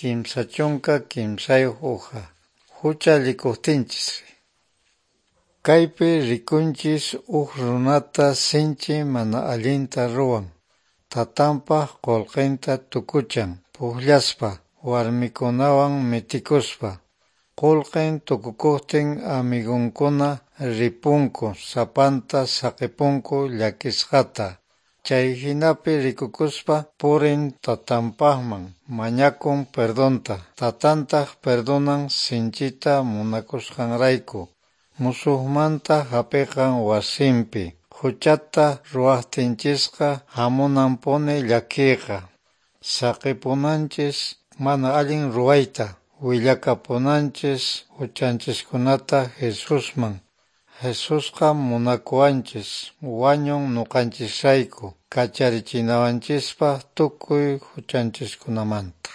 33 uja. Huchallikuqtinchis. Kaypi rikunchis huk runata sinchi mana allinta ruwan. Tatanpaq qullqinta tukuchan, pukllaspa, warmikunawan mitikuspa. Qullqin tukukuqtin amigunkuna ripunku sapanta saqipunku llakisqata. Chay hinapi rikukuspa purin tatanpaqman, mañakun perdonta, tatantaq perdonan sinchita munakusqanrayku. Musuqmanta hap'iqan wasinpi. Huchata ruwaqtinchisqa hamunanpuni llakiyqa. Saqipunanchis mana allin ruwayta, willakapunanchis huchanchiskunata Jesusman. Jesusqa munakuwanchis, wañun nuqanchisrayku, kacharichinawanchispaq tukuy huchanchiskunamanta.